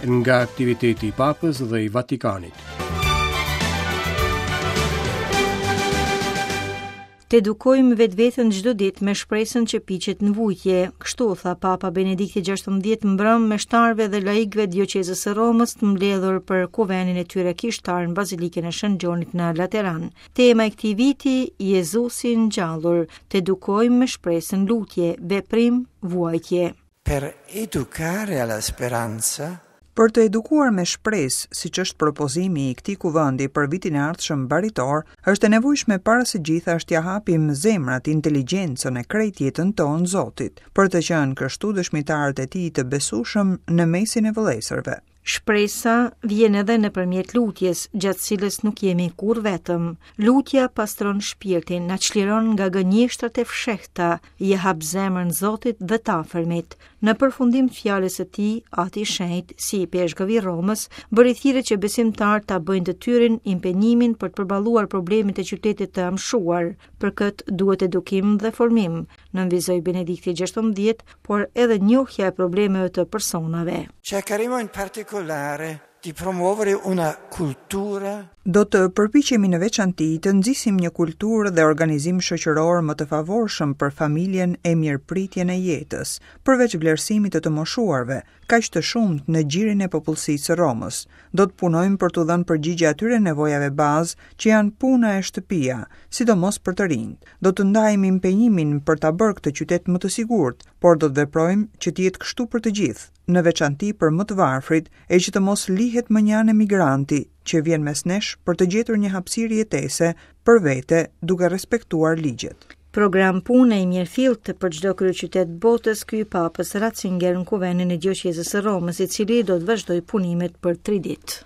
Nga aktiviteti i Papës dhe i Vatikanit. Të edukojmë vetveten çdo ditë me shpresën që piqet në vujtje. Kështu tha Papa Benedikti XVI mbrëmë meshtarëve dhe laikëve të dioqezës së Romës të mbledhur për kuvendin e tyre kishtar në Bazilikën e Shën Gjonit në Lateran. Tema e këtij viti, Jezusi i ngjallur, të edukojmë me shpresën lutje, veprim, vuajtje. Per educare alla speranza, Për të edukuar me shpresë, siç është propozimi i këtij kuvendi për vitin e ardhshëm baritor, është e nevojshme para së gjithash t'ia hapim zemrat, inteligjencën e krejt jetën tonë Zotit, për të qenë kështu dëshmitarët e tij të besueshëm në mesin e vëllezërve. Shpresa vjen edhe nëpërmjet lutjes, gjatë cilës nuk jemi kurrë vetëm. Lutja pastron shpirtin, na çliron nga gënjeshtrat e fshehta, ia hap zemrën Zotit dhe të afërmit. Në përfundim të fjalës së tij, Ati i Shenjtë, si ipeshkëv i Romës, bëri thirrje që besimtarët ta bëjnë të tyrin impenjimin për të përballuar problemet e qytetit të amshuar. Për këtë duhet edukim dhe formim, nënvizoi Benedikti XVI, por edhe njohja e problemeve të personave. Cercheremo in particolare di promuovere una cultura Do të përpiqemi në veçanti të nxisim një kulturë dhe organizim shoqëror më të favorshëm për familjen e mirëpritjen e jetës, përveç vlerësimit të të moshuarve, kaq të shumtë në gjirin e popullsisë së Romës. Do të punojmë për t'u dhënë përgjigje atyre nevojave bazë që janë puna e shtëpia, sidomos për të rinjtë. Do të ndajmë impenjimin për ta bërë këtë qytet më të sigurt, por do të veprojmë që të jetë kështu për të gjithë, në veçanti për më të varfrit e që të mos lihet mënjanë emigranti që vjen mes nesh për të gjetur një hapësirë jetese për vete duke respektuar ligjet. Program pune i mirëfilltë për çdo kryeqytet botës ky i Papës Ratzinger në kuvendin e dioqezës së Romës, i cili do të vazhdojë punimet për tri ditë.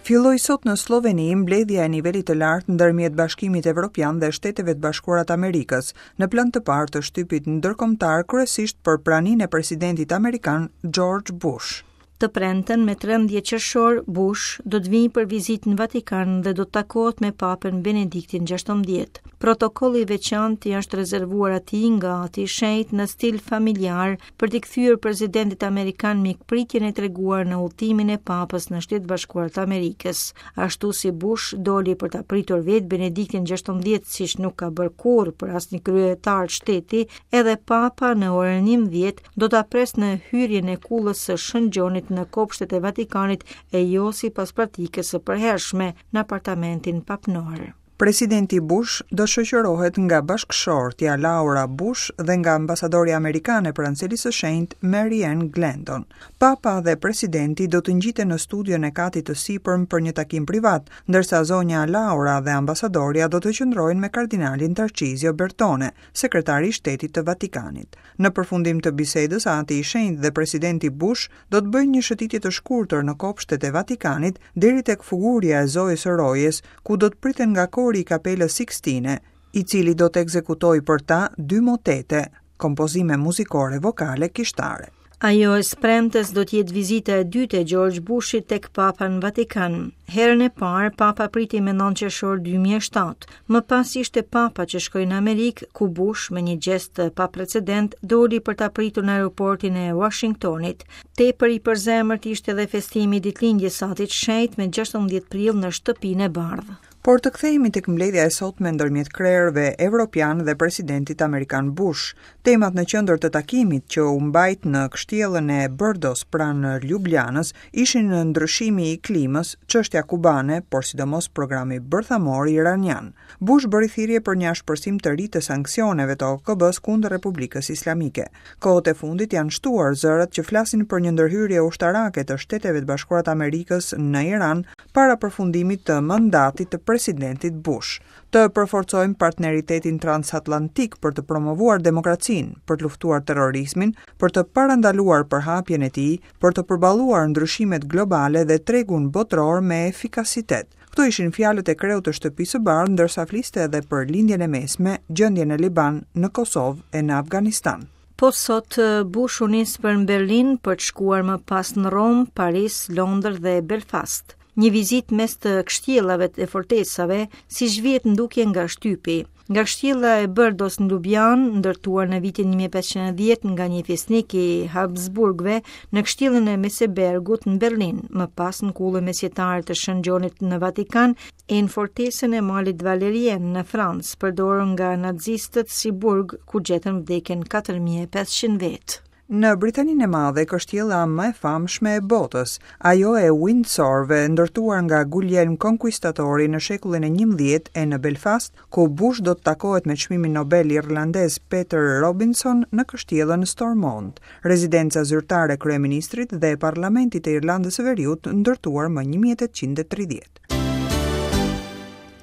Filloi sot në Slloveni mbledhja e nivelit të lartë ndërmjet Bashkimit Evropian dhe Shteteve të Bashkuara të Amerikës, në plan të parë të shtypit ndërkombëtar kryesisht për praninë e presidentit amerikan George Bush. Të premten me 13 qershor, Bush do të vijë për vizitë në Vatikan dhe do të takohet me Papën Benediktin XVI. Protokoll i veçantë i është rezervuar atij nga Ati i Shenjtë në stil familjar për t'i kthyer presidentit amerikan mikpritjen e treguar në udhëtimin e Papës në Shtetet e Bashkuara të Amerikës. Ashtu si Bush doli për ta pritur vetë Benediktin XVI, siç nuk ka bërë kurrë për asnjë kryetar shteti, edhe Papa në orën 11 do ta presë në hyrjen e kullës së Shën Gjonit në kopshtet e Vatikanit e jo sipas praktikës së përhershme në apartamentin papnor. Presidenti Bush do të shoqërohet nga bashkëshortja Laura Bush dhe nga ambasadorja amerikane pranë Selisë së Shenjtë, Mary Ann Glendon. Papa dhe presidenti do të ngjiten në studion e katit të sipërm për një takim privat, ndërsa zonja Laura dhe ambasadorja do të qëndrojnë me kardinalin Tarcizio Bertone, sekretar i Shtetit të Vatikanit. Në përfundim të bisedës, Ati i Shenjtë dhe presidenti Bush do të bëjnë një shëtitje të shkurtër në kopshtet e Vatikanit deri tek fugurja e Zojës së Rojes, ku do të priten nga kori i Kapelës Sikstine, i cili do të ekzekutojë për ta dy motete, kompozime muzikore vokale kishtare. Ajo e së premtes do të jetë vizita e dytë e George Bushit tek Papa në Vatikan. Herën e parë, Papa priti me 9 qershor 2007. Më pas ishte Papa që shkoi në Amerikë, ku Bush me një gjest të paprecedent doli për ta pritur në aeroportin e Washingtonit. Tepër i përzemërt ishte edhe festimi i ditëlindjes së Atit të Shenjtë me 16 prill në Shtëpinë e Bardhë. Por të kthehemi tek mbledhja e sotme ndërmjet krerëve evropianë dhe presidentit amerikan Bush. Temat në qendër të takimit që u mbajt në kështjellën e Bërdos pranë Ljubljanës ishin ndryshimi i klimës, çështja kubane, por sidomos programi bërthamor iranian. Bush bëri thirrje për një ashpërsim të ri të sanksioneve të OKB-së kundër Republikës Islamike. Kohët e fundit janë shtuar zërat që flasin për një ndërhyrje ushtarake të Shteteve të Bashkuara të Amerikës në Iran para përfundimit të mandatit të presidentit Bush. Të përforcojmë partneritetin transatlantik për të promovuar demokracinë, për të luftuar terrorizmin, për të parandaluar përhapjen e tij, për të përballuar ndryshimet globale dhe tregun botëror me efikasitet. Këto ishin fjalët e kreut të Shtëpisë së Bardhë ndërsa fliste edhe për Lindjen e Mesme, gjendjen në Liban, në Kosovë e në Afganistan. Po sot Bush u nis për në Berlin për të shkuar më pas në Romë, Paris, Londër dhe Belfast. Një vizitë mes të kështjellave e fortesave, siç vihet në dukje nga shtypi. Nga kështjella e Bërdos në Lubjanë, ndërtuar në vitin 1510 nga një fisnik i Habsburgëve, në kështjellën e Mesebergut në Berlin, më pas në kullën mesjetare të Shën Gjonit në Vatikan e në fortesën e Malit Valerien në Francë, përdorur nga nazistët si burg ku gjetën vdekjen 4500 vetë. Në Britaninë e Madhe, kështjella më e famshme e botës, ajo e Windsorve, ndërtuar nga Guglielm Konkuistatori në shekullin e 11 e në Belfast, ku Bush do të takohet me çmimin Nobel irlandez Peter Robinson në kështjellën Stormont, rezidenca zyrtare e kryeministrit dhe e parlamentit të Irlandës së Veriut ndërtuar më 1830.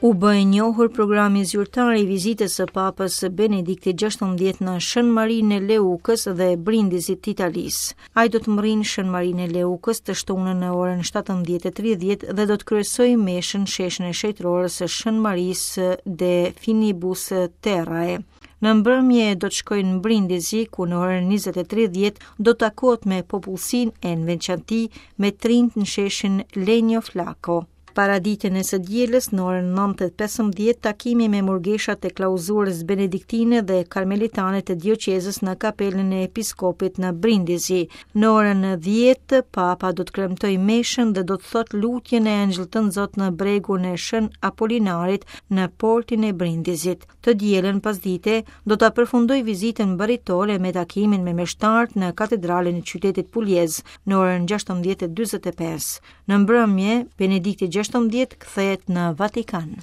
U bë i njohur programi zyrtar i vizitës së Papës Benediktit XVI në Shën Marinë e Leukës dhe Brindizit të Italisë. Ai do të mbërrijë në Shën Marinë e Leukës të shtunën në orën 17:30 dhe do të kryesojë meshën në sheshin e shenjtërores së Shën Marisë de Finibus Terrae. Në mbrëmje do të shkojë në Brindisi, ku në orën 20:30 do të takohet me popullsinë e në veçanti me të rinjtë në sheshin Lenio Flako. Paraditen e së dielës në orën 9:15 takimi me murgeshat e klauzurës benediktine dhe karmelitane të dioqezës në kapelën e episkopit në Brindisi. Në orën 10 Papa do të kremtojë meshën dhe do të thotë lutjen e Engjëll Tënzot në bregun e Shën Apolinarit në portin e Brindizit. Të dielën pasdite do ta përfundojë vizitën baritore me takimin me meshtarët në katedralen e qytetit Puljez në orën 16:45. Në mbrëmje, Benedikti XVI kthehet në Vatikan.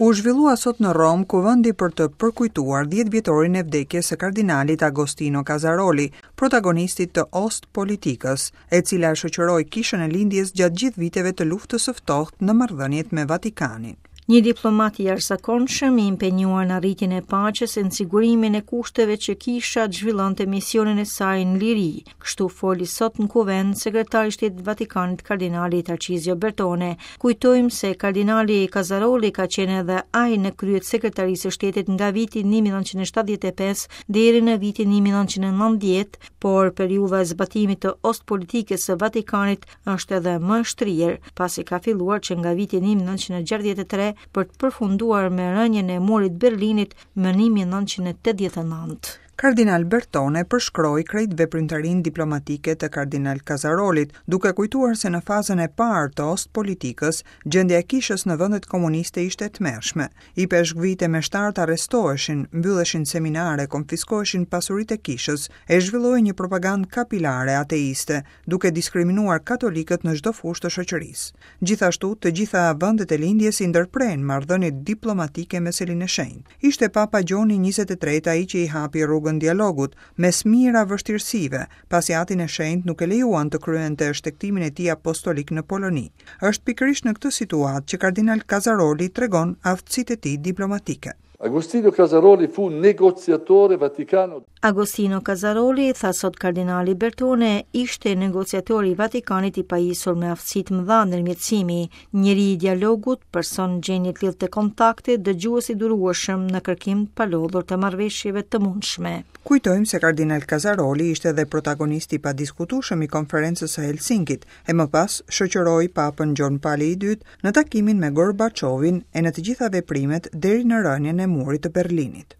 U zhvillua sot në Romë kuvendi për të përkujtuar 10 vjetorin e vdekjes së kardinalit Agostino Casaroli, protagonistit të Ostpolitikës, e cila shoqëroi Kishën e Lindjes gjatë gjithë viteve të Luftës së Ftohtë në marrëdhëniet me Vatikanin. Një diplomat i jashtëzakonshëm i impenjuar në arritjen e paqes e në sigurimin e kushteve që kisha të zhvillonte misionin e saj në liri. Kështu foli sot në kuvend sekretari i Shtetit të Vatikanit kardinali Tarcizio Bertone. Kujtojmë se kardinali Casaroli ka qenë edhe ai në krye të sekretarisë së shtetit nga viti 1975 deri në vitin 1990, por periudha e zbatimit të ostpolitikës së Vatikanit është edhe më e shtrirë, pasi ka filluar që nga viti 1963 për të përfunduar me rënien e murit të Berlinit më 1989. Kardinal Bertone përshkroi krejt veprimtarinë diplomatike të kardinal Kazarolit, duke kujtuar se në fazën e parë të ostpolitikës, gjendja e kishës në vendet komuniste ishte e tmerrshme. Ipeshkvijtë e meshtarët arrestoheshin, mbylleshin seminare, konfiskoheshin pasuritë e kishës, e zhvillohej një propagandë kapilare ateiste, duke diskriminuar katolikët në çdo fushë të shoqërisë. Gjithashtu, të gjitha vendet e Lindjes i ndërprenë marrëdhëniet diplomatike me Selinë e Shenjtë. Ishte Papa Gjoni 23 ai që i hapi rrugën dialogut, mes mijëra vështirësive, pasi Atin e Shenjtë nuk e lejuan të kryente shtegtimin e tij apostolik në Poloni. Është pikërisht në këtë situatë që kardinal Kazaroli tregon aftësitë e tij diplomatike. Agostino Casaroli fu negoziatore vaticano. Agostino Casaroli, tha sot kardinali Bertone, ishte negociator i Vatikanit i pajisur me aftësi të mëdha ndërmjetësimi, njeri i dialogut, person në gjendje të lidhte kontakte, dëgjues i durueshëm në kërkim të palodhur të marrëveshjeve të mundshme. Kujtojmë se kardinal Casaroli ishte edhe protagonist i padiskutueshëm i Konferencës së Helsinkit, e më pas shoqëroi Papën Gjon Pali i Dytë në takimin me Gorbaçovin e në të gjitha veprimet deri në rënien e Murit të Berlinit.